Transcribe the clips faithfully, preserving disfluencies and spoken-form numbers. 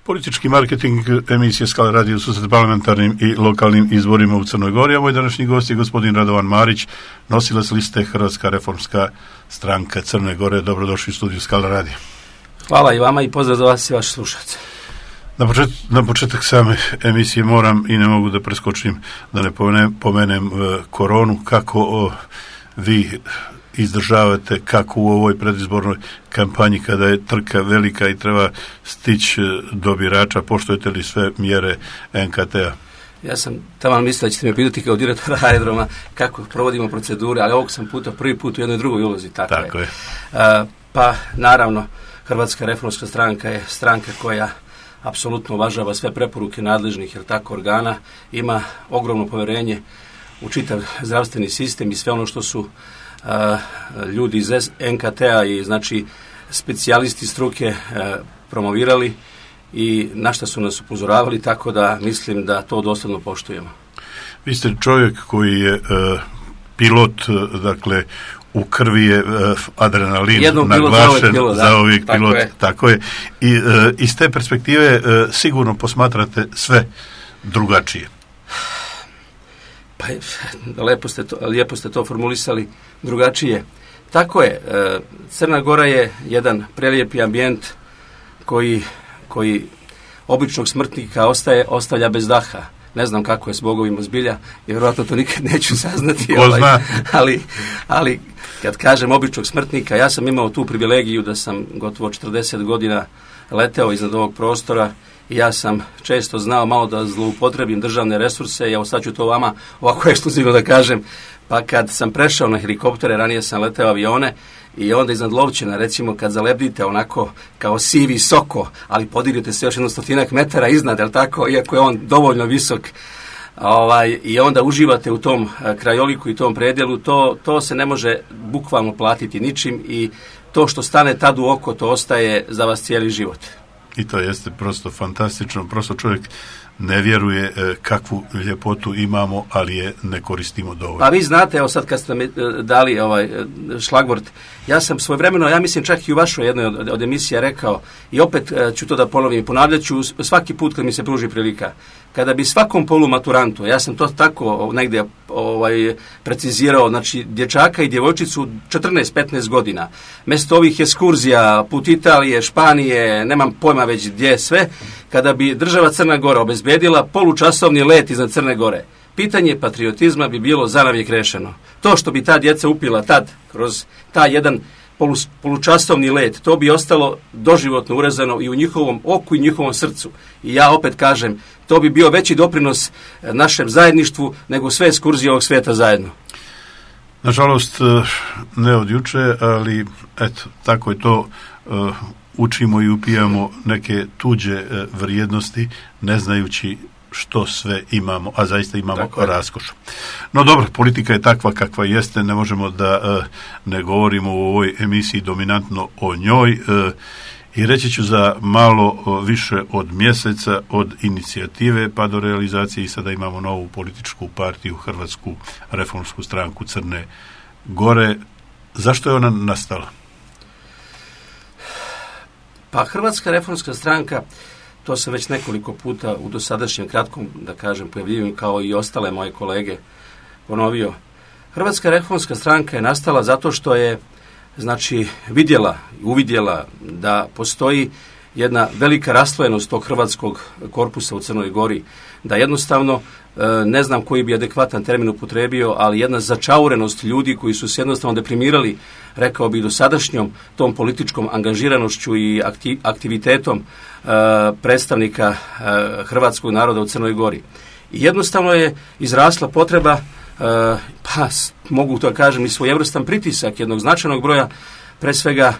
Politički marketing emisije Skala radio susret parlamentarnim i lokalnim izborima u Crnoj Gori, a moj današnji gost je gospodin Radovan Marić, nosilac liste Hrvatska reformska stranka Crne Gore. Dobrodošli u studiju Skala radio. Hvala i vama i pozdrav za vas i vaše slušalce. Na, počet, na početak same emisije moram i ne mogu da preskočim da ne pomenem, pomenem uh, koronu. Kako uh, vi izdržavate, kako u ovoj predizbornoj kampanji kada je trka velika i treba stići do birača, poštujete li sve mjere en ka te a? Ja sam tamo mislio da ćete me pitati kao direktora aerodroma kako provodimo procedure, ali ovog sam puta prvi put u jednoj drugoj ulozi. Tako, tako je. je. Uh, pa naravno, Hrvatska reformska stranka je stranka koja apsolutno uvažava sve preporuke nadležnih, jer tako, organa, ima ogromno povjerenje u čitav zdravstveni sistem i sve ono što su Uh, ljudi iz en ka te a i znači specijalisti struke uh, promovirali i na šta su nas upozoravali, tako da mislim da to doslovno poštujemo. Vi ste čovjek koji je uh, pilot, uh, dakle u krvi je uh, adrenalin Jednom naglašen pilot, za ovih tako pilot, je. tako je. I uh, iz te perspektive uh, sigurno posmatrate sve drugačije. Pa lepo ste to, lijepo ste to formulisali drugačije. Tako je, Crna Gora je jedan prelijepi ambijent koji, koji običnog smrtnika ostaje, ostavlja bez daha. Ne znam kako je s bogovima zbilja, jer vjerojatno to nikad neću saznati. Ko zna? Ali, ali kad kažem običnog smrtnika, ja sam imao tu privilegiju da sam gotovo četrdeset godina leteo iznad ovog prostora i ja sam često znao malo da zloupotrebim državne resurse. Ja sad ću to vama ovako ekskluzivno da kažem. Pa kad sam prešao na helikoptere, ranije sam leteo avione i onda iznad Lovćena, recimo kad zalebdite onako kao sivi soko, ali podignete se još jedno stotinak metara iznad, jel tako, iako je on dovoljno visok, ovaj, i onda uživate u tom krajoliku i tom predjelu, to, to se ne može bukvalno platiti ničim i to što stane tad u oko, to ostaje za vas cijeli život. I to jeste prosto fantastično, prosto čovjek ne vjeruje e, kakvu ljepotu imamo, ali je ne koristimo dovoljno. Pa vi znate, evo sad kad ste mi dali ovaj šlagvort, ja sam svojevremeno, ja mislim čak i u vašoj jednoj od, od emisija rekao, i opet e, ću to da ponovim i ponavljat ću svaki put kad mi se pruži prilika, kada bi svakom polumaturantu, ja sam to tako negdje ovaj, precizirao, znači dječaka i djevojčicu četrnaest petnaest godina, mjesto ovih ekskurzija, put Italije, Španije, nemam pojma već gdje sve, kada bi država Crna Gora obezbedila polučasovni let iznad Crne Gore, pitanje patriotizma bi bilo zanavijek rešeno. To što bi ta djeca upila tad, kroz taj jedan polu, polučasovni let, to bi ostalo doživotno urezano i u njihovom oku i njihovom srcu. I ja opet kažem, to bi bio veći doprinos našem zajedništvu nego sve ekskurzije ovog svijeta zajedno. Nažalost, ne od juče, ali eto, tako je to. Učimo i upijamo neke tuđe vrijednosti, ne znajući što sve imamo, a zaista imamo raskoš. No dobro, politika je takva kakva jeste, ne možemo da uh, ne govorimo u ovoj emisiji dominantno o njoj uh, i reći ću za malo uh, više od mjeseca od inicijative pa do realizacije i sada imamo novu političku partiju, Hrvatsku reformsku stranku Crne Gore. Zašto je ona nastala? Pa Hrvatska reformska stranka, to sam već nekoliko puta u dosadašnjem kratkom, da kažem, pojavljivanju kao i ostale moje kolege ponovio. Hrvatska reformska stranka je nastala zato što je, znači, vidjela, uvidjela da postoji jedna velika raslojenost tog hrvatskog korpusa u Crnoj Gori, da jednostavno, ne znam koji bi adekvatan termin upotrebio, ali jedna začaurenost ljudi koji su se jednostavno deprimirali, rekao bih, dosadašnjom tom političkom angažiranošću i aktivitetom predstavnika hrvatskog naroda u Crnoj Gori. I jednostavno je izrasla potreba, pa mogu to kažem i svojevrstan pritisak jednog značajnog broja, pre svega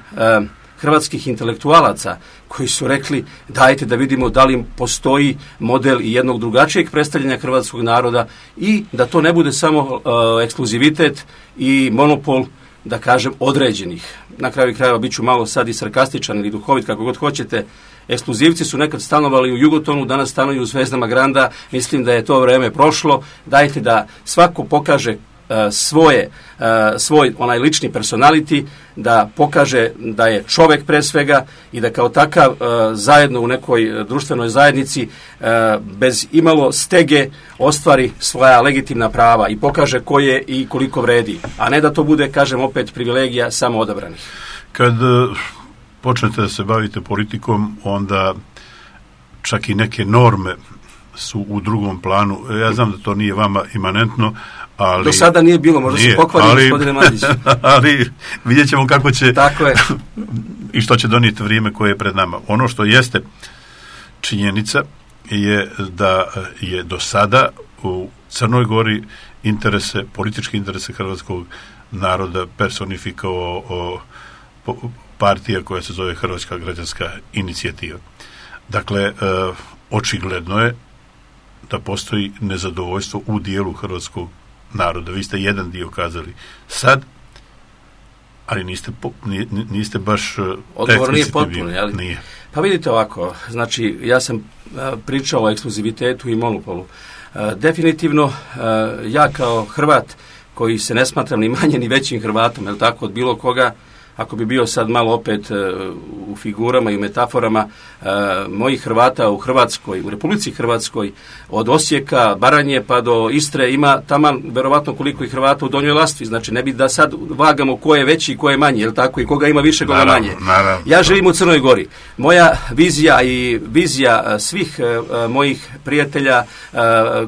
hrvatskih intelektualaca koji su rekli dajte da vidimo da li postoji model i jednog drugačijeg predstavljanja hrvatskog naroda i da to ne bude samo uh, ekskluzivitet i monopol, da kažem, određenih. Na kraju krajeva bit ću malo sad i sarkastičan ili duhovit, kako god hoćete. Ekskluzivci su nekad stanovali u Jugotonu, danas stanuju u Zvezdama Granda. Mislim da je to vreme prošlo. Dajte da svako pokaže svoje, svoj onaj lični personality, da pokaže da je čovjek pre svega i da kao takav zajedno u nekoj društvenoj zajednici bez imalo stege ostvari svoja legitimna prava i pokaže ko je i koliko vredi, a ne da to bude, kažem opet, privilegija samo odabranih. Kad počnete da se bavite politikom, onda čak i neke norme su u drugom planu. Ja znam da to nije vama imanentno, ali... Do sada nije bilo, možda nije, se pokvari, ali, gospodine Mandiću. Ali vidjet ćemo kako će... Tako je. I što će donijeti vrijeme koje je pred nama. Ono što jeste činjenica je da je do sada u Crnoj Gori interese, političke interese hrvatskog naroda personifikovao o, o, partija koja se zove Hrvatska građanska inicijativa. Dakle, e, očigledno je da postoji nezadovoljstvo u dijelu hrvatskog naroda. Vi ste jedan dio kazali sad, ali niste, po, niste baš odgovor nije potpuno, jel? Nije. Pa vidite ovako, znači ja sam pričao o ekskluzivitetu i monopolu. Definitivno ja kao Hrvat koji se ne smatram ni manje ni većim Hrvatom, jel tako, od bilo koga, ako bi bio sad malo opet u figurama i metaforama, mojih Hrvata u Hrvatskoj, u Republici Hrvatskoj, od Osijeka, Baranje pa do Istre ima taman verovatno koliko i Hrvata u Donjoj Lastvi. Znači ne bi da sad vagamo ko je veći i ko je manji, jel tako, i koga ima više, koga naravno, manje. Naravno. Ja živim u Crnoj Gori. Moja vizija i vizija svih mojih prijatelja,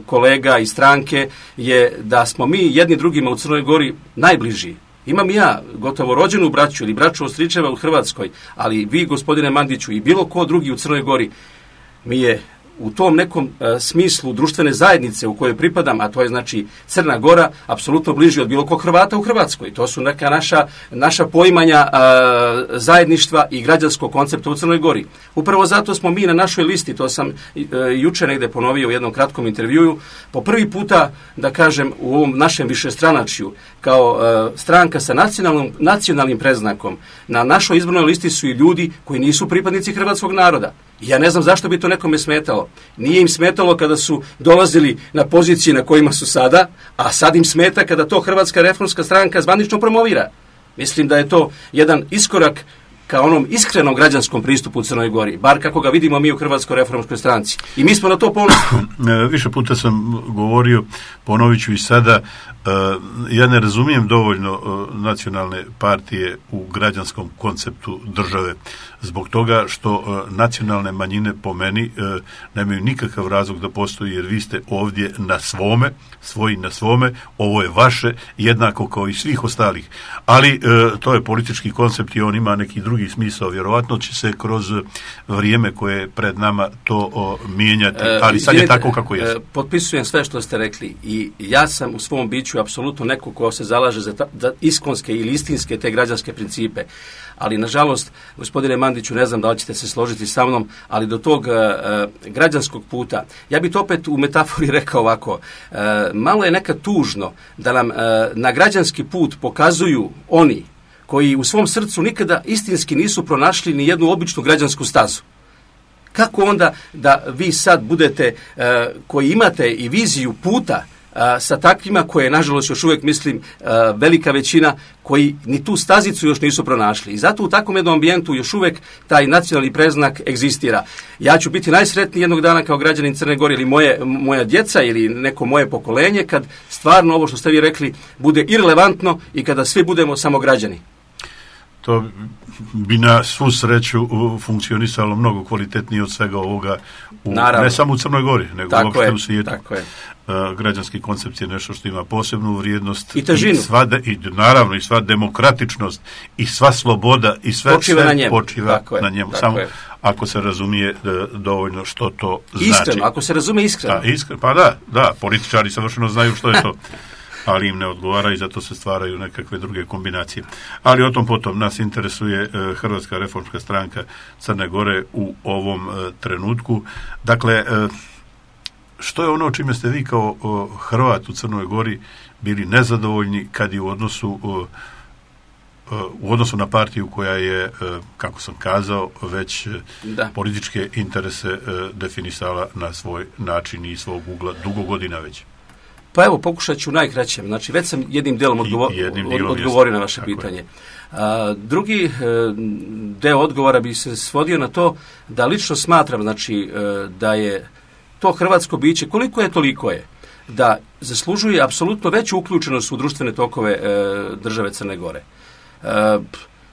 kolega i stranke je da smo mi jedni drugima u Crnoj Gori najbliži. Imam ja gotovo rođenu braću ili braću od stričeva u Hrvatskoj, ali vi, gospodine Mandiću, i bilo ko drugi u Crnoj Gori mi je u tom nekom e, smislu društvene zajednice u kojoj pripadam, a to je znači Crna Gora, apsolutno bliži od bilo kog Hrvata u Hrvatskoj. To su neka naša, naša poimanja e, zajedništva i građanskog koncepta u Crnoj Gori. Upravo zato smo mi na našoj listi, to sam e, juče negde ponovio u jednom kratkom intervjuju, po prvi puta, da kažem, u ovom našem višestranačju, kao e, stranka sa nacionalnom, nacionalnim predznakom, na našoj izbornoj listi su i ljudi koji nisu pripadnici hrvatskog naroda. Ja ne znam zašto bi to nekome smetalo. Nije im smetalo kada su dolazili na pozicije na kojima su sada, a sad im smeta kada to Hrvatska reformska stranka zvanično promovira. Mislim da je to jedan iskorak ka onom iskrenom građanskom pristupu u Crnoj Gori, bar kako ga vidimo mi u Hrvatskoj reformskoj stranci. I mi smo na to ponosni. Više puta sam govorio, ponovit ću i sada, ja ne razumijem dovoljno nacionalne partije u građanskom konceptu države, zbog toga što nacionalne manjine po meni nemaju nikakav razlog da postoji, jer vi ste ovdje na svome, svoji na svome, ovo je vaše, jednako kao i svih ostalih. Ali to je politički koncept i on ima neki drugi smisao. Vjerovatno će se kroz vrijeme koje je pred nama to mijenjati, ali sad je tako kako je. Potpisujem sve što ste rekli i ja sam u svom biću apsolutno neko ko se zalaže za, ta, za iskonske ili istinske te građanske principe. Ali, nažalost, gospodine Mandiću, ne znam da li ćete se složiti sa mnom, ali do tog uh, građanskog puta, ja bih to opet u metafori rekao ovako, uh, malo je nekad tužno da nam uh, na građanski put pokazuju oni koji u svom srcu nikada istinski nisu pronašli ni jednu običnu građansku stazu. Kako onda da vi sad budete, uh, koji imate i viziju puta, sa takvima koje, nažalost, još uvijek mislim velika većina koji ni tu stazicu još nisu pronašli. I zato u takvom jednom ambijentu još uvijek taj nacionalni preznak egzistira. Ja ću biti najsretniji jednog dana kao građanin Crne Gore ili moje, moja djeca ili neko moje pokolenje kad stvarno ovo što ste vi rekli bude irelevantno i kada svi budemo samo građani. To bi na svu sreću funkcionisalo mnogo kvalitetnije od svega ovoga, u, ne samo u Crnoj Gori, nego tako uopšte je, u svijetu. Tako je. Uh, građanski koncept je nešto što ima posebnu vrijednost i težinu. I sva de, i, naravno i sva demokratičnost i sva sloboda i sve počiva sve na njemu. Počiva tako na je, njemu. Samo je. Ako se razumije da, dovoljno što to znači. Iskreno, ako se razumije iskreno. Da, iskreno. Pa da, da, političari savršeno znaju što je to. Ali im ne odgovara i zato se stvaraju nekakve druge kombinacije. Ali o tom potom nas interesuje e, Hrvatska reformska stranka Crne Gore u ovom e, trenutku. Dakle, e, što je ono čime ste vi kao o, Hrvat u Crnoj Gori bili nezadovoljni kad je u odnosu o, o, u odnosu na partiju koja je, e, kako sam kazao, već da. političke interese e, definisala na svoj način i svog ugla dugo godina već? Pa evo, pokušat ću najkraćem. Znači, već sam jednim dijelom odgovo- jednim od, odgovorio na vaše pitanje. A, drugi e, deo odgovora bi se svodio na to da lično smatram, znači, e, da je to hrvatsko biće, koliko je, toliko je, da zaslužuje apsolutno veću uključenost u društvene tokove e, države Crne Gore. E,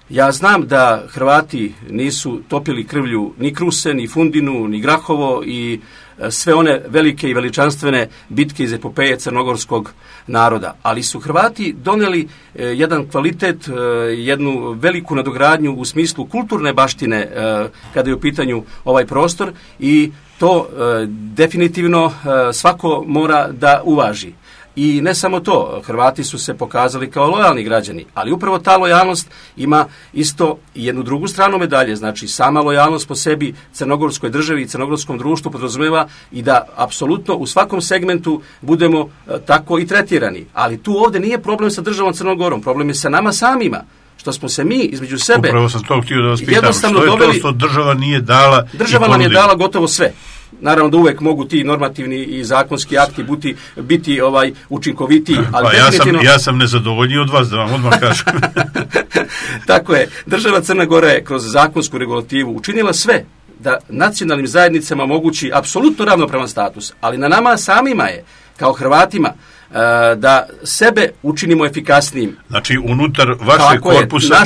ja znam da Hrvati nisu topili krvlju ni Kruse, ni Fundinu, ni Grahovo i e, sve one velike i veličanstvene bitke iz epopeje crnogorskog naroda, ali su Hrvati doneli e, jedan kvalitet, e, jednu veliku nadogradnju u smislu kulturne baštine e, kada je u pitanju ovaj prostor i to e, definitivno e, svako mora da uvaži. I ne samo to, Hrvati su se pokazali kao lojalni građani, ali upravo ta lojalnost ima isto jednu drugu stranu medalje, znači sama lojalnost po sebi crnogorskoj državi i crnogorskom društvu podrazumeva i da apsolutno u svakom segmentu budemo e, tako i tretirani. Ali tu ovdje nije problem sa državom Crnogorom, problem je sa nama samima. Što smo se mi između sebe... Upravo sam to htio da vas pitam, što je doveli, to što država nije dala... Država nam je dala gotovo sve. Naravno da uvek mogu ti normativni i zakonski akti biti, biti ovaj učinkovitiji, ali pa definitivno... ja sam, ja sam nezadovoljniji od vas, da vam odmah kažem. Tako je. Država Crna Gora je kroz zakonsku regulativu učinila sve da nacionalnim zajednicama omogući apsolutno ravnopravan status, ali na nama samima je, kao Hrvatima, da sebe učinimo efikasnijim. Znači, unutar vašeg korpusa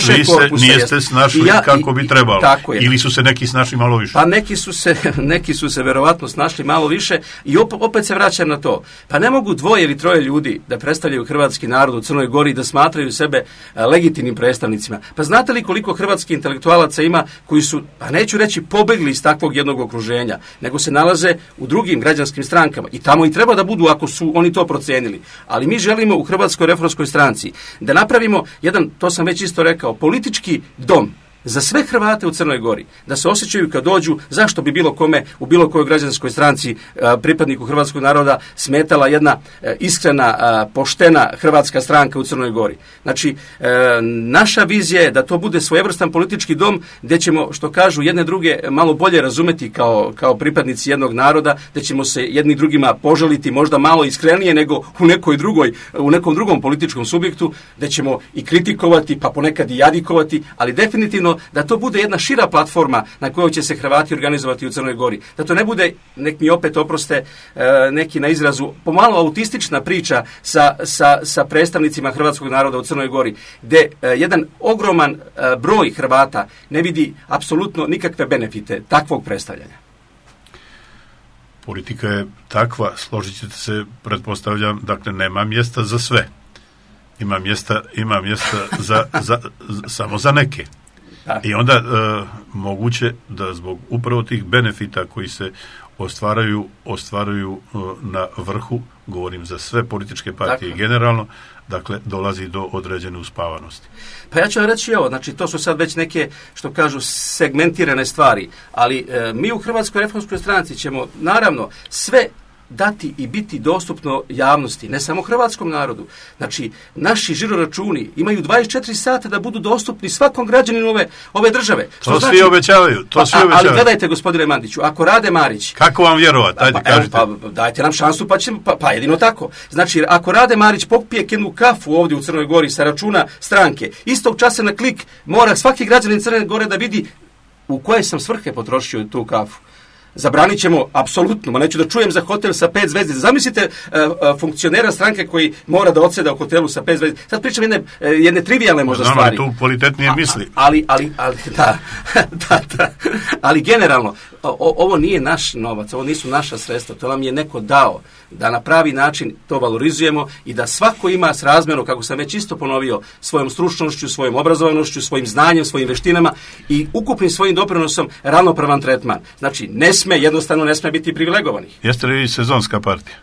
niste snašli ja, kako bi trebalo. Ili su se neki snašli malo više? Pa neki su se, neki su se verovatno snašli malo više i op, opet se vraćam na to. Pa ne mogu dvoje ili troje ljudi da predstavljaju hrvatski narod u Crnoj Gori i da smatraju sebe legitimnim predstavnicima. Pa znate li koliko hrvatskih intelektualaca ima koji su, pa neću reći pobegli iz takvog jednog okruženja, nego se nalaze u drugim građanskim strankama i tamo i treba da budu ako su oni to procenili. Ali mi želimo u Hrvatskoj reformskoj stranci da napravimo jedan, to sam već isto rekao, politički dom za sve Hrvate u Crnoj Gori, da se osjećaju kad dođu, zašto bi bilo kome u bilo kojoj građanskoj stranci pripadniku hrvatskog naroda smetala jedna iskrena, poštena hrvatska stranka u Crnoj Gori. Znači, naša vizija je da to bude svojevrstan politički dom gdje ćemo, što kažu, jedne druge malo bolje razumeti kao, kao pripadnici jednog naroda, gdje ćemo se jedni drugima poželiti možda malo iskrenije nego u nekoj drugoj, u nekom drugom političkom subjektu, gdje ćemo i kritikovati, pa ponekad i jadikovati, ali definitivno da to bude jedna šira platforma na kojoj će se Hrvati organizovati u Crnoj Gori. Da to ne bude, nek mi opet oproste neki na izrazu, pomalo autistična priča sa, sa, sa predstavnicima hrvatskog naroda u Crnoj Gori, gdje jedan ogroman broj Hrvata ne vidi apsolutno nikakve benefite takvog predstavljanja. Politika je takva, složit ćete se, pretpostavljam, dakle nema mjesta za sve. Ima mjesta, ima mjesta za, za, za, samo za neke. I onda e, moguće da zbog upravo tih benefita koji se ostvaraju, ostvaraju e, na vrhu, govorim za sve političke partije dakle. Generalno, dakle dolazi do određene uspavanosti. Pa ja ću vam reći ovo, znači to su sad već neke, što kažu, segmentirane stvari, ali e, mi u Hrvatskoj reformskoj stranci ćemo naravno sve dati i biti dostupno javnosti, ne samo hrvatskom narodu. Znači, naši žiroračuni imaju dvadeset četiri sata da budu dostupni svakom građaninu ove, ove države. Što to znači, svi obećavaju. To svi a, obećavaju. Ali gledajte, gospodine Mandiću, ako Rade Marić... Kako vam vjerovati? Ajde, pa, kažite. Pa, dajte nam šansu, pa, ćemo, pa, pa jedino tako. Znači, ako Rade Marić popije jednu kafu ovdje u Crnoj Gori sa računa stranke, istog časa na klik mora svaki građanin Crne Gore da vidi u koje sam svrhe potrošio tu kafu. Zabranit ćemo, apsolutno, ma neću da čujem za hotel sa pet zvezdica. Zamislite uh, uh, funkcionera stranke koji mora da odseda u hotelu sa pet zvezdica. Sad pričam jedne, uh, jedne trivijalne možda Znam, stvari. Znam, tu kvalitetnije misli. Ali, ali, ali, da, da, da. Ali generalno, o, ovo nije naš novac, ovo nisu naša sredstva, to nam je neko dao da na pravi način to valorizujemo i da svako ima srazmjerno, kako sam već isto ponovio, svojom stručnošću, svojom obrazovanošću, svojim znanjem, svojim veštinama i ukupnim svojim doprinosom ravnopravan tretman. Znači, ne sme, jednostavno ne sme biti privilegovanih. Jeste li sezonska partija?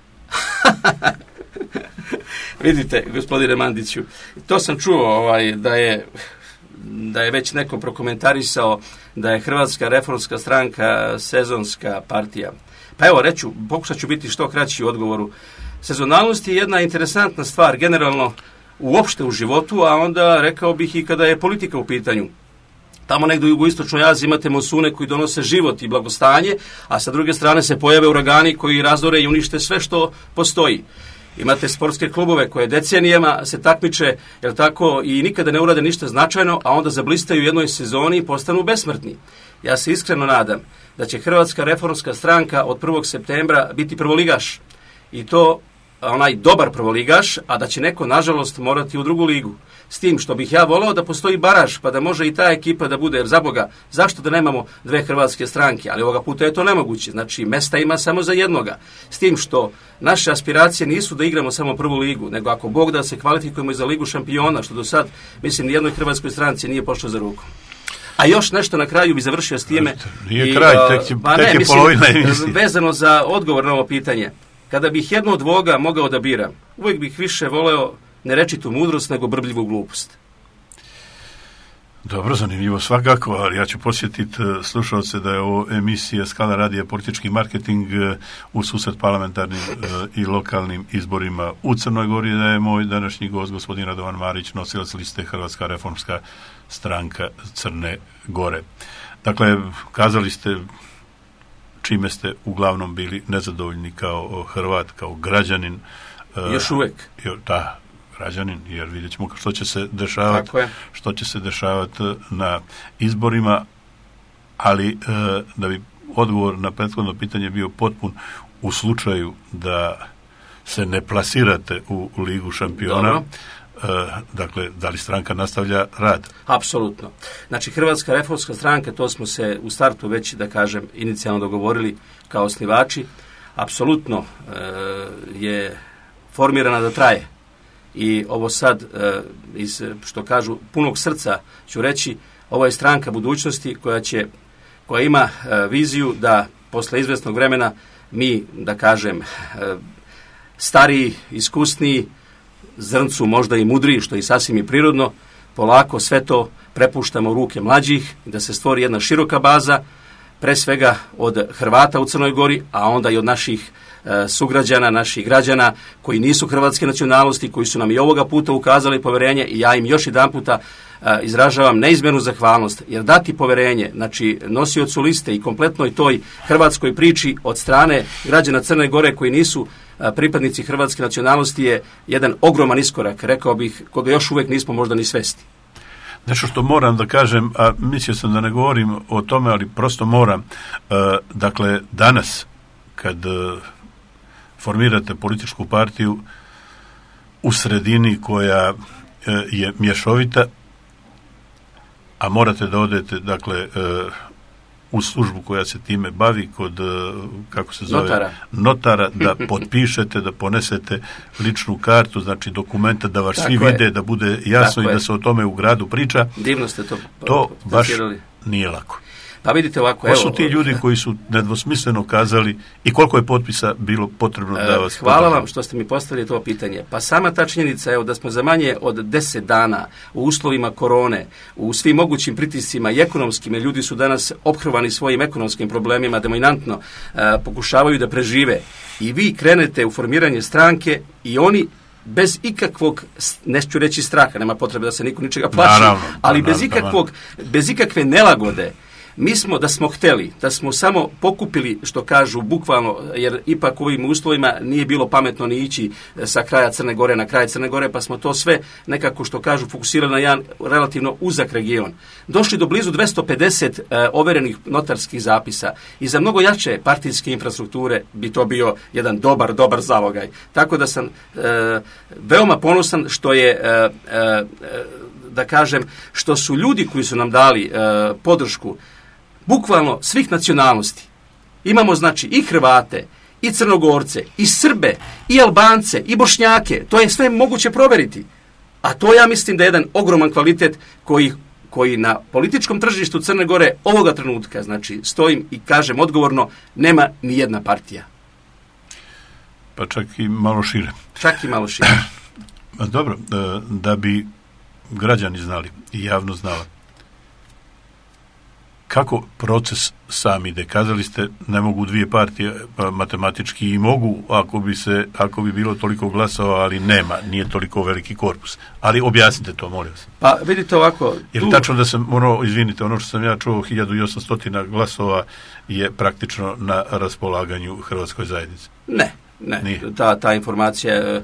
Vidite, gospodine Mandiću, to sam čuo ovaj, da je da je već neko prokomentarisao da je Hrvatska reformska stranka sezonska partija. Pa evo, reću, pokušat ću biti što kraći u odgovoru. Sezonalnost je jedna interesantna stvar, generalno uopšte u životu, a onda rekao bih i kada je politika u pitanju. Tamo negdje u jugoistočnoj Aziji imate monsune koji donose život i blagostanje, a sa druge strane se pojave uragani koji razore i unište sve što postoji. Imate sportske klubove koje decenijama se takmiče, jel tako, i nikada ne urade ništa značajno, a onda zablistaju u jednoj sezoni i postanu besmrtni. Ja se iskreno nadam da će Hrvatska reformska stranka od prvog septembra biti prvoligaš. I to onaj dobar prvoligaš, a da će neko, nažalost, morati u drugu ligu. S tim što bih ja volao da postoji baraž, pa da može i ta ekipa da bude, jer za Boga, zašto da nemamo dve hrvatske stranke, ali ovoga puta je to nemoguće, znači mesta ima samo za jednoga. S tim što naše aspiracije nisu da igramo samo prvu ligu, nego ako Bog da se kvalifikujemo i za ligu šampiona, što do sad, mislim, nijednoj hrvatskoj stranci nije pošlo za ruku. A još nešto na kraju bi završio s time. Nije kraj, tek je, pa tek ne, je mislim, polovina emisije. Vezano za odgovor na ovo pitanje. Kada bih jedno od dvoga mogao da biram, uvijek bih više voleo ne rečitu mudrost, nego brbljivu glupost. Dobro, zanimljivo svakako, ali ja ću posjetiti slušalce da je ovo emisija Skala radija politički marketing u susret parlamentarnim i lokalnim izborima u Crnoj Gori, da je moj današnji gost gospodin Radovan Marić, nosilac liste Hrvatska reformska stranka Crne Gore. Dakle, kazali ste čime ste uglavnom bili nezadovoljni kao Hrvat, kao građanin. Još uvijek. Da, građanin, jer vidjet ćemo što će se dešavati, što će se dešavati na izborima, ali da bi odgovor na prethodno pitanje bio potpun u slučaju da se ne plasirate u Ligu šampiona. Dobro. Dakle, da li stranka nastavlja rad? Apsolutno. Znači, Hrvatska reformska stranka, to smo se u startu već, da kažem, inicijalno dogovorili kao osnivači, apsolutno e, je formirana da traje. I ovo sad, e, iz, što kažu, punog srca ću reći, ovo je stranka budućnosti koja će, koja ima e, viziju da posle izvesnog vremena mi, da kažem, e, stariji, iskusniji, zrncu možda i mudriji, što je sasvim i prirodno, polako sve to prepuštamo u ruke mlađih, da se stvori jedna široka baza, pre svega od Hrvata u Crnoj Gori, a onda i od naših e, sugrađana, naših građana koji nisu hrvatske nacionalnosti, koji su nam i ovoga puta ukazali poverenje, i ja im još jedan puta e, izražavam neizmjernu zahvalnost, jer dati poverenje, znači nosiocu liste i kompletnoj toj hrvatskoj priči od strane građana Crne Gore koji nisu pripadnici hrvatske nacionalnosti je jedan ogroman iskorak, rekao bih, koga još uvijek nismo možda ni svesti. Nešto što moram da kažem, a mislio sam da ne govorim o tome, ali prosto moram. E, dakle, danas, kad e, formirate političku partiju u sredini koja e, je mješovita, a morate da odete, dakle, e, u službu koja se time bavi kod, kako se zove, notara, notara da potpišete, da ponesete ličnu kartu, znači dokumenta, da vas tako svi je. Vide, da bude jasno tako i je. Da se o tome u gradu priča. Divno ste to To baš nije lako. Pa vidite ovako, Ko evo... su ti ljudi koji su nedvosmisleno kazali i koliko je potpisa bilo potrebno da vas... Hvala podržaju? vam što ste mi postavili to pitanje. Pa sama ta činjenica, evo, da smo za manje od deset dana u uslovima korone, u svim mogućim pritiscima i ekonomskim, jer ljudi su danas ophrvani svojim ekonomskim problemima, dominantno e, pokušavaju da prežive. I vi krenete u formiranje stranke i oni bez ikakvog, neću reći straha, nema potrebe da se niko ničega plaši, naravno, ali naravno, bez ikakvog, bez ikakve nelagode. Mi smo, da smo hteli, da smo samo pokupili, što kažu, bukvalno, jer ipak u ovim uslovima nije bilo pametno ni ići sa kraja Crne Gore na kraj Crne Gore, pa smo to sve nekako, što kažu, fokusirali na jedan relativno uzak region. Došli do blizu dvesta pedeset e, overenih notarskih zapisa i za mnogo jače partijske infrastrukture bi to bio jedan dobar, dobar zalogaj. Tako da sam e, veoma ponosan što je, e, e, da kažem, što su ljudi koji su nam dali e, podršku bukvalno svih nacionalnosti. Imamo, znači, i Hrvate, i Crnogorce, i Srbe, i Albance, i Bošnjake. To je sve moguće proveriti. A to, ja mislim, da je jedan ogroman kvalitet koji, koji na političkom tržištu Crne Gore ovoga trenutka, znači, stojim i kažem odgovorno, nema ni jedna partija. Pa čak i malo šire. Čak i malo šire. Dobro, da bi građani znali i javno znala kako proces sam ide. Kazali ste, ne mogu dvije partije, matematički i mogu, ako bi se, ako bi bilo toliko glasova, ali nema, nije toliko veliki korpus. Ali objasnite to, molim vas. Pa vidite ovako... Je li tu... tačno da sam, ono, izvinite, ono što sam ja čuo, hiljadu osamsto glasova je praktično na raspolaganju Hrvatskoj zajednici? Ne. Ne, ta, ta informacija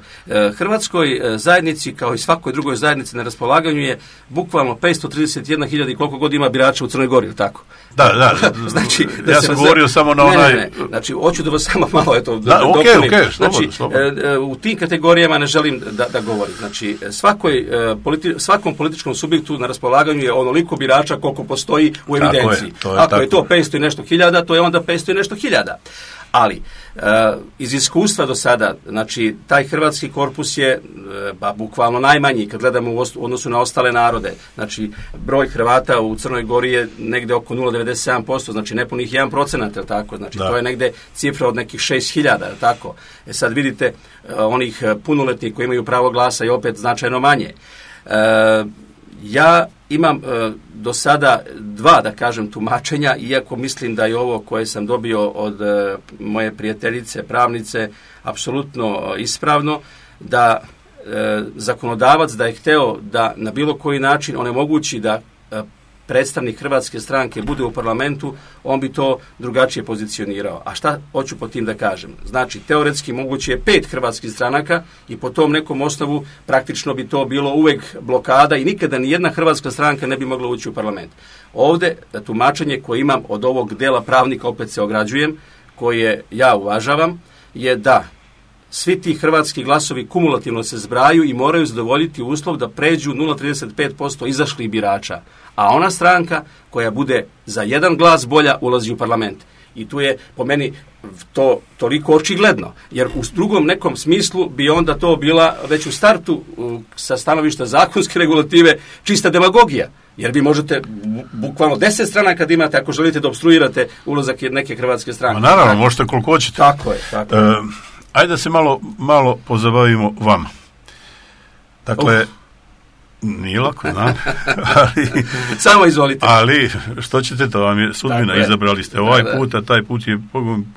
Hrvatskoj zajednici kao i svakoj drugoj zajednici na raspolaganju je bukvalno petsto trideset jedna hiljada i koliko god ima birača u Crnoj Gori, tako? Da, da, znači, da ja sam govorio za... samo na onaj... Ne, ne, ne, znači, hoću da vas samo malo, eto, da, da okay, dopunim. Okay, slobodno, znači, slobodno. u tim kategorijama ne želim da, da govorim. Znači, svakoj, politi... svakom političkom subjektu na raspolaganju je onoliko birača koliko postoji u evidenciji. Je, to je Ako tako. je to petsto i nešto hiljada, to je onda petsto i nešto hiljada. Ali, e, iz iskustva do sada, znači, taj hrvatski korpus je, e, ba, bukvalno najmanji, kad gledamo u odnosu na ostale narode. Znači, broj Hrvata u Crnoj Gori je negde oko nula zarez devedeset sedam posto, znači nepunih jedan procenat, je tako? Znači, da. To je negde cifra od nekih šest hiljada, je tako? E sad vidite, e, onih punoletnih koji imaju pravo glasa je opet značajno manje. E, ja imam e, do sada dva, da kažem, tumačenja, iako mislim da je ovo koje sam dobio od e, moje prijateljice, pravnice, apsolutno ispravno, da e, zakonodavac da je hteo da na bilo koji način onemogući da e, predstavnik Hrvatske stranke bude u parlamentu, on bi to drugačije pozicionirao. A šta hoću po tim da kažem? Znači, teoretski moguće je pet hrvatskih stranaka i po tom nekom osnovu praktično bi to bilo uvek blokada i nikada ni jedna hrvatska stranka ne bi mogla ući u parlament. Ovde tumačenje koje imam od ovog dela pravnika, opet se ograđujem, koje ja uvažavam, je da svi ti hrvatski glasovi kumulativno se zbraju i moraju zadovoljiti uslov da pređu nula zarez trideset pet posto izašlih birača. A ona stranka koja bude za jedan glas bolja ulazi u parlament. I tu je po meni to toliko očigledno. Jer u drugom nekom smislu bi onda to bila već u startu sa stanovišta zakonske regulative čista demagogija. Jer vi možete bukvalno deset strana kad imate ako želite da obstruirate ulazak neke hrvatske stranke. Ma naravno, možete koliko hoćete. Tako je. Tako je. E, ajde da se malo, malo pozabavimo vama. Dakle, uh. nije lako, znam. ali, Samo izvolite. Ali, što ćete, to vam je sudbina, je. Izabrali ste ovaj da, put, a taj put je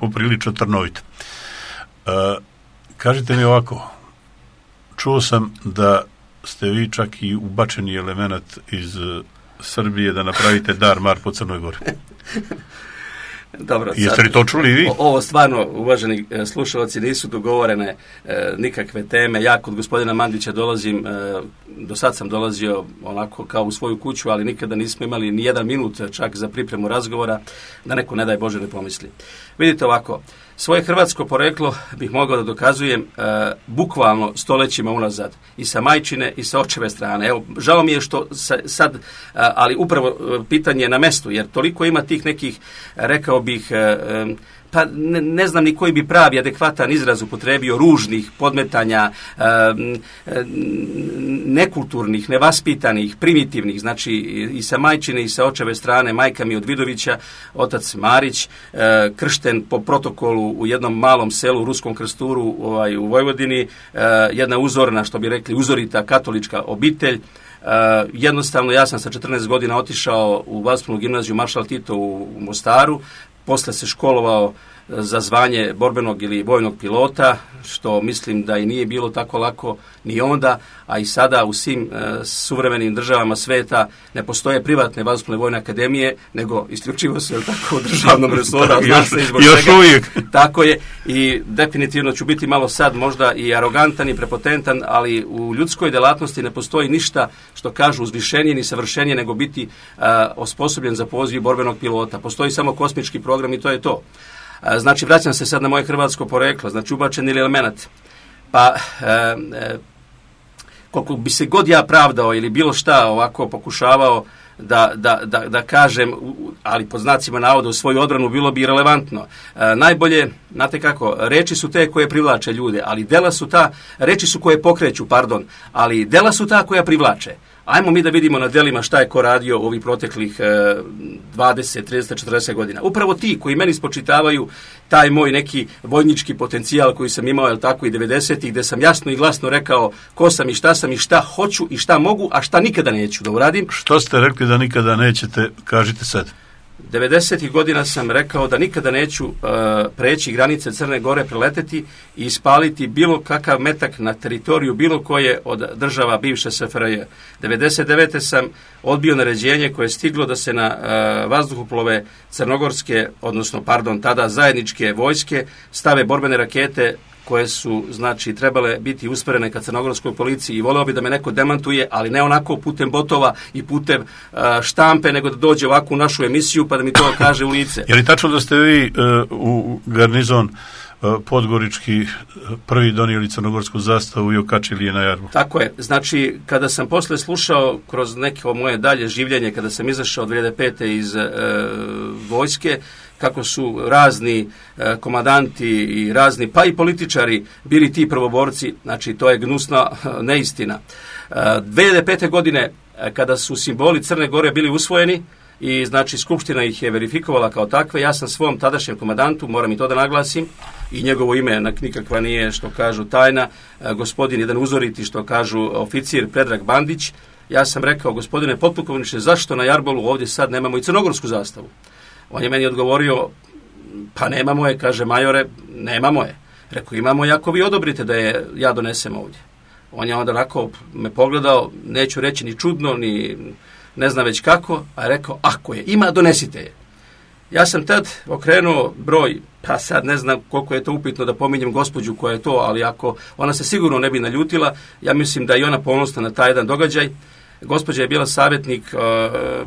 poprilično trnovit. Uh, kažite mi ovako, čuo sam da ste vi čak i ubačeni element iz uh, Srbije da napravite dar mar po Crnoj Gori. Dobro, jeste li to čuli vi? Ovo stvarno, uvaženi e, slušalci, nisu dogovorene e, nikakve teme. Ja kod gospodina Mandića dolazim, e, do sad sam dolazio onako kao u svoju kuću, ali nikada nismo imali ni jedan minut čak za pripremu razgovora, da neko, ne daj Bože, ne pomisli. Vidite ovako, svoje hrvatsko poreklo bih mogao da dokazujem e, bukvalno stolećima unazad. I sa majčine i sa očeve strane. Evo, žao mi je što sa, sad, e, ali upravo e, pitanje je na mestu, jer toliko ima tih nekih, rekao bih, e, e, pa ne, ne znam ni koji bi pravi adekvatan izraz upotrebio, ružnih podmetanja, e, e, nekulturnih, nevaspitanih, primitivnih, znači i sa majčine i sa očeve strane, majka mi od Vidovića, otac Marić, e, kršten po protokolu u jednom malom selu u Ruskom Krsturu ovaj, u Vojvodini, e, jedna uzorna, što bi rekli, uzorita katolička obitelj. Uh, jednostavno, ja sam sa četrnaest godina otišao u Vasponu gimnaziju Maršal Tito u, u Mostaru, posle se školovao za zvanje borbenog ili vojnog pilota, što mislim da i nije bilo tako lako ni onda, a i sada u svim e, suvremenim državama sveta ne postoje privatne vazdušne vojne akademije, nego isključivo su tako u državnom resoru, zna se izbog čega. Tako je i definitivno ću biti malo sad možda i arogantan i prepotentan, ali u ljudskoj delatnosti ne postoji ništa što kažu uzvišenije ni savršenije nego biti e, osposobljen za poziv borbenog pilota. Postoji samo kosmički program i to je to. Znači, vraćam se sad na moje hrvatsko poreklo, znači ubačen ili element. Pa, e, e, koliko bi se god ja pravdao ili bilo šta ovako pokušavao da, da, da, da kažem, ali pod znacima navoda u svoju odbranu, bilo bi relevantno. E, najbolje, znate kako, reči su te koje privlače ljude, ali dela su ta, reči su koje pokreću, pardon, ali dela su ta koja privlače. Ajmo mi da vidimo na delima šta je ko radio u ovih proteklih e, dvadeset, trideset, četrdeset godina. Upravo ti koji meni spočitavaju taj moj neki vojnički potencijal koji sam imao, jel tako, i devedesetih, gde sam jasno i glasno rekao ko sam i šta sam i šta hoću i šta mogu, a šta nikada neću da uradim. Što ste rekli da nikada nećete, kažite sad. devedesetih godina sam rekao da nikada neću uh, preći granice Crne Gore, preleteti i ispaliti bilo kakav metak na teritoriju bilo koje od država bivše S F R J. devedeset devete sam odbio naređenje koje je stiglo da se na uh, vazduhoplove crnogorske, odnosno, pardon, tada zajedničke vojske stave borbene rakete koje su, znači, trebale biti usmjerene ka crnogorskoj policiji i voleo bi da me neko demantuje, ali ne onako putem botova i putem uh, štampe, nego da dođe ovako u našu emisiju pa da mi to kaže u lice. Je li tačno da ste vi uh, u garnizon podgorički prvi donijeli crnogorsku zastavu i okačili je na Jarbola? Tako je. Znači, kada sam posle slušao kroz neko moje dalje življenje, kada sam izašao od dvije hiljade pete iz e, vojske, kako su razni e, komandanti i razni, pa i političari bili ti prvoborci, znači to je gnusna neistina. E, dvije hiljade pete godine, kada su simboli Crne Gore bili usvojeni, i znači Skupština ih je verifikovala kao takve, ja sam svom tadašnjem komandantu, moram i to da naglasim, i njegovo ime nikakva nije, što kažu, tajna, gospodin jedan uzoriti, što kažu, oficir Predrag Bandić, ja sam rekao, gospodine potpukovniče, zašto na Jarbolu ovdje sad nemamo i crnogorsku zastavu? On je meni odgovorio, pa nemamo je, kaže, majore, nemamo je. Rekao, imamo je ako vi odobrite da je ja donesem ovdje. On je onda onako me pogledao, neću reći ni čudno, ni ne znam već kako, a je rekao, ako je ima, donesite je. Ja sam tad okrenuo broj, pa sad ne znam koliko je to upitno da pominjem gospođu koja je to, ali ako ona se sigurno ne bi naljutila, ja mislim da je ona ponosna na taj jedan događaj. Gospođa je bila savjetnik uh,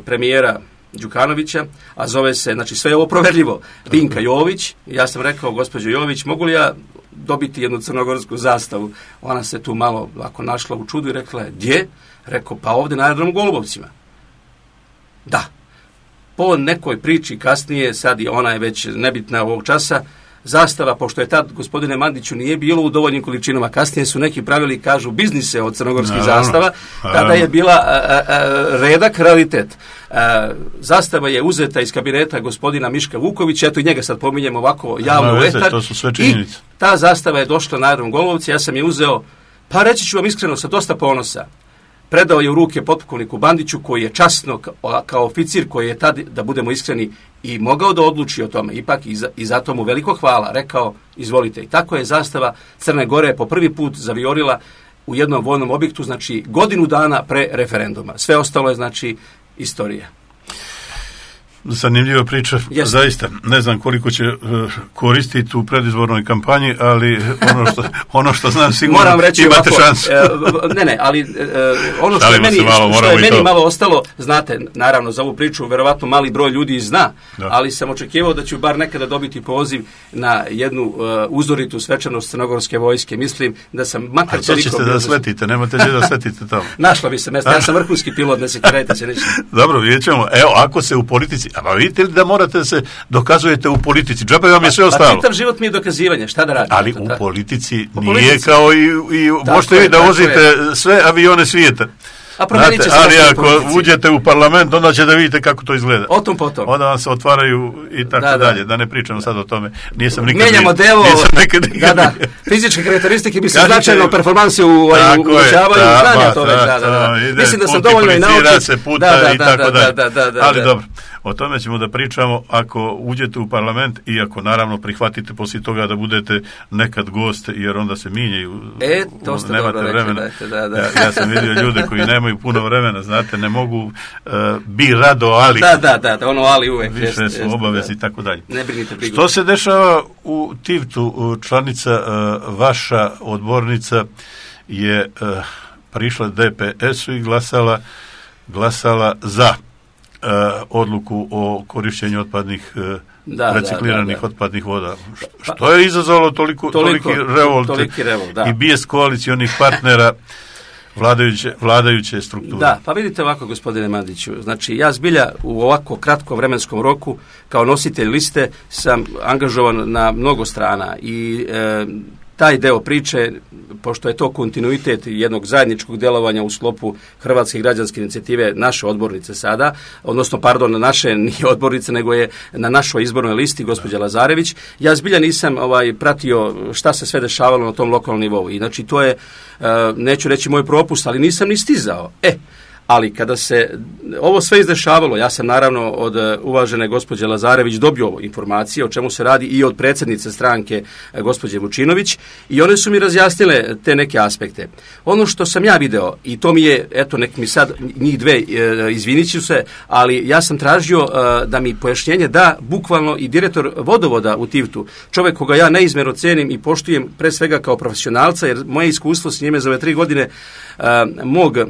premijera Đukanovića, a zove se, znači sve je ovo proverljivo, Vinka Jović. Ja sam rekao, gospođo Jović, mogu li ja dobiti jednu crnogorsku zastavu? Ona se tu malo ako našla u čudu i rekla je, gdje? Rekao, pa ovdje na aerodromu Golubovcima. Da. Po nekoj priči kasnije, sad je ona je već nebitna ovog časa, zastava, pošto je tad, gospodine Mandiću, nije bilo u dovoljnim količinama, kasnije su neki pravili, kažu, biznise od crnogorskih no, zastava, no, tada je bila a, a, redak realitet. A, zastava je uzeta iz kabineta gospodina Miška Vukovića, eto i njega sad pominjem ovako javno u etar, i ta zastava je došla na aerodrom Golubovci, ja sam je uzeo, pa reći ću vam iskreno, sa dosta ponosa. Predao je u ruke potpukovniku Bandiću, koji je časno kao, kao oficir, koji je tad, da budemo iskreni, i mogao da odluči o tome. Ipak i, za, i zato mu veliko hvala. Rekao, izvolite. I tako je zastava Crne Gore po prvi put zaviorila u jednom vojnom objektu, znači godinu dana pre referenduma. Sve ostalo je, znači, istorija. Zanimljiva priča, Jeste. Zaista. Ne znam koliko će uh, koristiti u predizbornoj kampanji, ali ono što, ono što znam sigurno Moram reći imate ovako, šansu. E, ne, ne, ali e, ono što je meni, malo, što je meni malo ostalo, znate, naravno za ovu priču verovatno mali broj ljudi zna, da. Ali sam očekivao da ću bar nekada dobiti poziv na jednu uh, uzoritu svečanost crnogorske vojske. Mislim da sam makar toliko... A što ćete da sletite? Nemate gdje da sletite tamo? Našla bi se mesta, ja sam vrhunski pilot, ne se kirajte se ništa. Dobro, vidjet ćemo. Evo, ako se u politici... A vidite li da morate da se dokazujete u politici? Džabe vam je sve ostalo. Pa čitav život mi je dokazivanje, šta da radim? Ali to, u tako? politici u nije politici. Kao i, i možete vi da vozite je. Sve avione svijeta. A promenit će se ali ako uđete u parlament, onda ćete da vidite kako to izgleda. O tom potom. Onda vam se otvaraju i tako da, dalje. Da. da ne pričamo sad o tome. Nisam nikad... Menjamo delo. Nisam nikad, nikad, da, da. Fizičke karakteristike bi se značajno u performansi uvećavaju. Znanja to već. Da, da, da. Mislim da sam dovoljno i naučen. se puta i tako dalje. Ali dobro. O tome ćemo da pričamo ako uđete u parlament i ako naravno prihvatite poslije toga da budete nekad gost, jer onda se minjaju. E, to ste nemate dobro vremena. Rekli, da, da. Ja, ja sam vidio ljude koji nemaju puno vremena, znate, ne mogu uh, bi rado, ali da, da, da, da, ono ali uvek više jest, su obavezi i tako dalje. Ne brinite brigu. Što se dešava u Tivtu? Članica uh, vaša odbornica je uh, prišla D P S-u i glasala glasala za Uh, odluku o korišćenju otpadnih uh, da, recikliranih da, da, da. otpadnih voda. Što, što je izazvalo toliko, toliko, toliki revolt toliki revolt, da. i bijes koalicionih partnera vladajuće, vladajuće strukture. Da, pa vidite ovako, gospodine Mandiću, znači ja zbilja u ovako kratkom vremenskom roku kao nositelj liste sam angažovan na mnogo strana i e, taj deo priče, pošto je to kontinuitet jednog zajedničkog djelovanja u sklopu Hrvatske građanske inicijative, naše odbornice sada, odnosno, pardon, naše nije odbornice, nego je na našoj izbornoj listi gospođa Lazarević, ja zbilja nisam ovaj, pratio šta se sve dešavalo na tom lokalnom nivou. I znači to je, neću reći moj propust, ali nisam ni stizao. E, Ali kada se ovo sve izdešavalo, ja sam naravno od uvažene gospođe Lazarević dobio informacije o čemu se radi i od predsjednice stranke gospođe Vučinović i one su mi razjasnile te neke aspekte. Ono što sam ja video, i to mi je, eto nek mi sad njih dve izvinit ću se, ali ja sam tražio da mi pojašnjenje da bukvalno i direktor vodovoda u Tivtu, čovjek koga ja neizmjerno cenim i poštujem pre svega kao profesionalca, jer moje iskustvo s njime za ove tri godine uh, mog uh,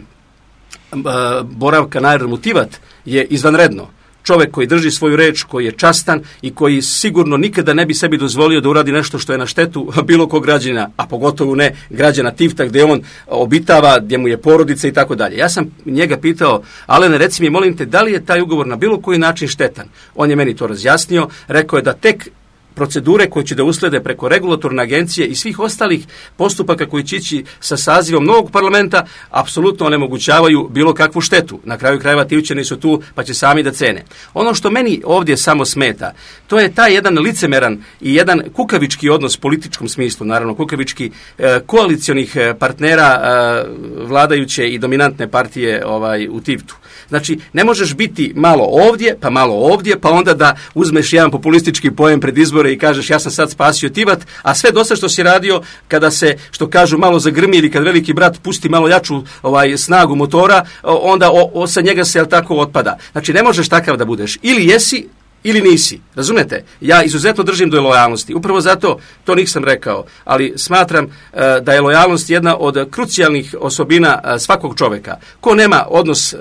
boravka na aerodromu Tivat je izvanredno. Čovjek koji drži svoju reč, koji je častan i koji sigurno nikada ne bi sebi dozvolio da uradi nešto što je na štetu bilo kog građana, a pogotovo ne građana Tivta gdje on obitava, gdje mu je porodica i tako dalje. Ja sam njega pitao, Alene, reci mi, molim te, da li je taj ugovor na bilo koji način štetan? On je meni to razjasnio, rekao je da tek procedure koje će da uslede preko regulatorne agencije i svih ostalih postupaka koji će ići sa sazivom novog parlamenta apsolutno onemogućavaju bilo kakvu štetu. Na kraju krajeva Tivčani su tu pa će sami da cene. Ono što meni ovdje samo smeta, to je taj jedan licemeran i jedan kukavički odnos u političkom smislu, naravno kukavički eh, koalicionih partnera eh, vladajuće i dominantne partije ovaj, u Tivtu. Znači, ne možeš biti malo ovdje, pa malo ovdje, pa onda da uzmeš jedan populistički pojem pred izbore i kažeš ja sam sad spasio Tivat, a sve dosta što si radio kada se, što kažu, malo zagrmi ili kad veliki brat pusti malo jaču ovaj, snagu motora, onda o, o, sa njega se jel tako otpada. Znači, ne možeš takav da budeš. Ili jesi, ili nisi. Razumete? Ja izuzetno držim do lojalnosti. Upravo zato, to nisam rekao, ali smatram uh, da je lojalnost jedna od krucijalnih osobina uh, svakog čovjeka. Ko nema odnos uh,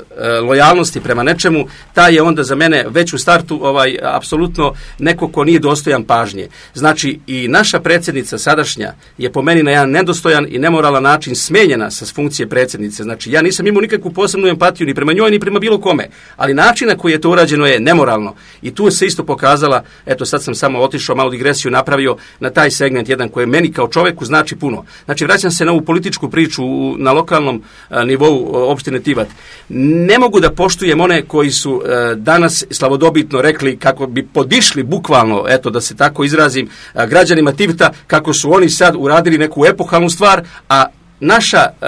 lojalnosti prema nečemu, taj je onda za mene već u startu ovaj apsolutno neko ko nije dostojan pažnje. Znači, i naša predsjednica sadašnja je po meni na jedan nedostojan i nemoralan način smenjena sa funkcije predsjednice. Znači, ja nisam imao nikakvu posebnu empatiju ni prema njoj, ni prema bilo kome. Ali način na koji je to urađeno je nemoralno. I tu se isto pokazala, eto sad sam samo otišao, malo digresiju napravio na taj segment jedan koji meni kao čovjeku znači puno. Znači, vraćam se na ovu političku priču na lokalnom a, nivou opštine Tivat. Ne mogu da poštujem one koji su a, danas slavodobitno rekli kako bi podišli bukvalno, eto da se tako izrazim, a, građanima Tivta, kako su oni sad uradili neku epohalnu stvar, a naša uh,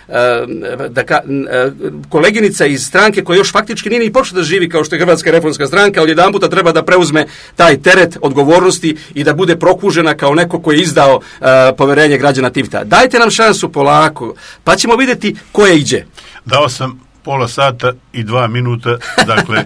uh, da ka, uh, koleginica iz stranke koja još faktički nije ni počela da živi kao što je Hrvatska reformska stranka, od jedan puta treba da preuzme taj teret odgovornosti i da bude prokužena kao neko koji je izdao uh, poverenje građana Tivta. Dajte nam šansu polako, pa ćemo vidjeti ko je iđe. Dao sam pola sata i dva minuta, dakle,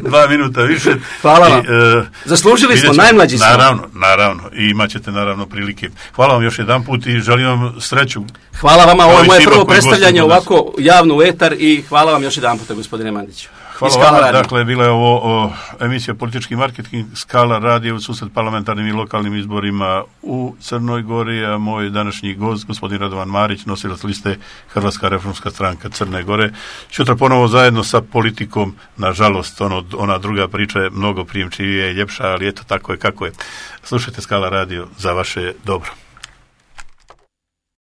dva minuta više. Hvala vam. I, uh, Zaslužili smo, najmlađi smo. Naravno, naravno. I imat ćete naravno prilike. Hvala vam još jedan put i želim vam sreću. Hvala vama, ovo je moje prvo predstavljanje ovako javno u etar i hvala vam još jedan puta, gospodine Mandiću. Hvala vama, radio. Dakle, bila je ovo o, emisija Politički marketing, Skala radio u susret parlamentarnim i lokalnim izborima u Crnoj Gori, a moj današnji gost, gospodin Radovan Marić, nosilac liste Hrvatska reformska stranka Crne Gore. Sutra ponovo zajedno sa politikom, nažalost, ono, ona druga priča je mnogo prijemčivija i ljepša, ali eto, tako je kako je. Slušajte Skala radio za vaše dobro.